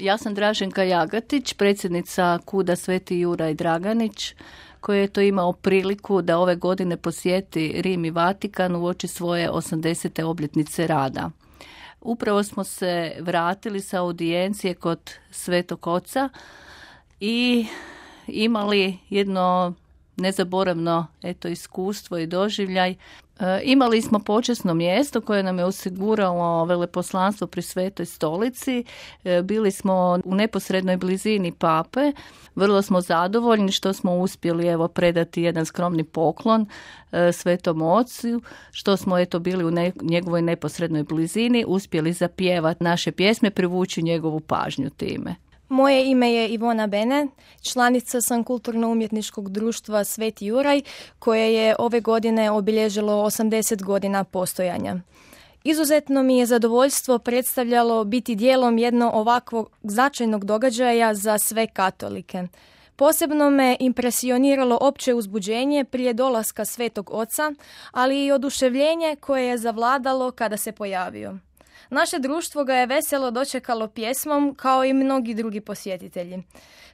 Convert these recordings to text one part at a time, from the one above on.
Ja sam Draženka Jagatić, predsjednica KUD-a Sveti Juraj Draganić, koji je to imao priliku da ove godine posjeti Rim i Vatikan uoči svoje 80. obljetnice rada. Upravo smo se vratili sa audijencije kod Svetog Oca i imali jedno nezaboravno iskustvo i doživljaj. Imali smo počasno mjesto koje nam je osiguralo veleposlanstvo pri Svetoj Stolici. Bili smo u neposrednoj blizini Pape. Vrlo smo zadovoljni što smo uspjeli predati jedan skromni poklon Svetom Ocu, što smo bili u njegovoj neposrednoj blizini, uspjeli zapjevati naše pjesme, privući njegovu pažnju time. Moje ime je Ivona Bene, članica sam Kulturno-umjetničkog društva Sveti Juraj, koje je ove godine obilježilo 80 godina postojanja. Izuzetno mi je zadovoljstvo predstavljalo biti dijelom jednog ovakvog značajnog događaja za sve katolike. Posebno me impresioniralo opće uzbuđenje prije dolaska Svetog Oca, ali i oduševljenje koje je zavladalo kada se pojavio. Naše društvo ga je veselo dočekalo pjesmom kao i mnogi drugi posjetitelji.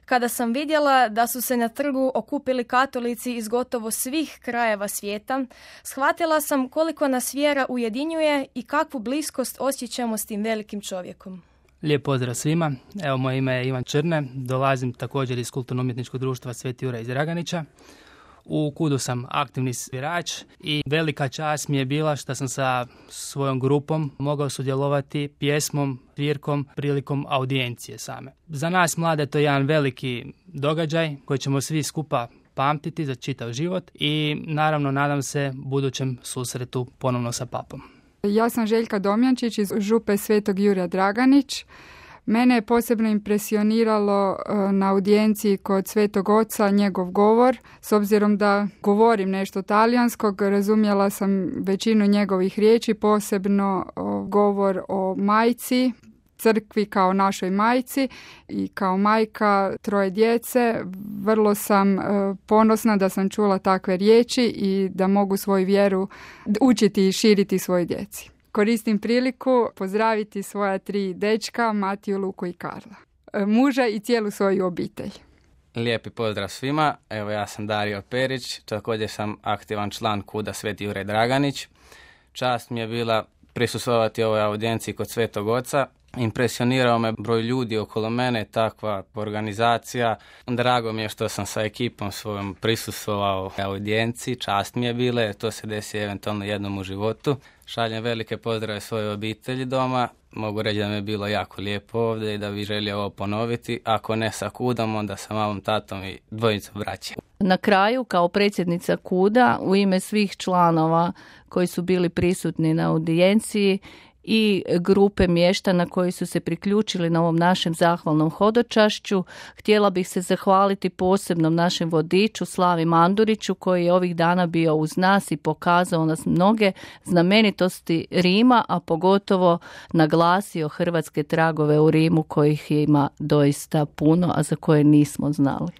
Kada sam vidjela da su se na trgu okupili katolici iz gotovo svih krajeva svijeta, shvatila sam koliko nas vjera ujedinjuje i kakvu bliskost osjećamo s tim velikim čovjekom. Lijep pozdrav svima. Evo, moje ime je Ivan Črne, dolazim također iz Kulturno-umjetničkog društva Sveti Juraj iz Draganića. U KUD-u sam aktivni svirač i velika čast mi je bila što sam sa svojom grupom mogao sudjelovati pjesmom, svirkom prilikom audijencije same. Za nas mlade to je jedan veliki događaj koji ćemo svi skupa pamtiti za čitav život i naravno nadam se budućem susretu ponovno sa papom. Ja sam Željka Domjančić iz župe Svetog Jurja Draganić. Mene je posebno impresioniralo na audijenciji kod Svetog Oca njegov govor. S obzirom da govorim nešto talijanskog, razumjela sam većinu njegovih riječi, posebno govor o majci, crkvi kao našoj majci i kao majka troje djece. Vrlo sam ponosna da sam čula takve riječi i da mogu svoju vjeru učiti i širiti svojoj djeci. Koristim priliku pozdraviti svoja 3 dečka, Matiju, Luku i Karla, muža i cijelu svoju obitelj. Lijepi pozdrav svima. Evo, ja sam Dario Perić, također sam aktivan član KUD-a Sveti Juraj Draganić. Čast mi je bila prisustvovati ovoj audijenciji kod Svetog Oca. Impresionirao me broj ljudi okolo mene, takva organizacija. Drago mi je što sam sa ekipom svojom prisustvovao audijenciji. Čast mi je bila, jer to se desi eventualno jednom u životu. Šaljem velike pozdrave svojoj obitelji doma. Mogu reći da mi je bilo jako lijepo ovdje i da bih želio ovo ponoviti. Ako ne sa KUD-om, onda sa mamom, tatom i dvojicom braće. Na kraju, kao predsjednica KUD-a, u ime svih članova koji su bili prisutni na audijenciji i grupe mještana koji su se priključili na ovom našem zahvalnom hodočašću, htjela bih se zahvaliti posebnom našem vodiču Slavi Manduriću, koji je ovih dana bio uz nas i pokazao nas mnoge znamenitosti Rima, a pogotovo naglasio hrvatske tragove u Rimu kojih ima doista puno, a za koje nismo znali.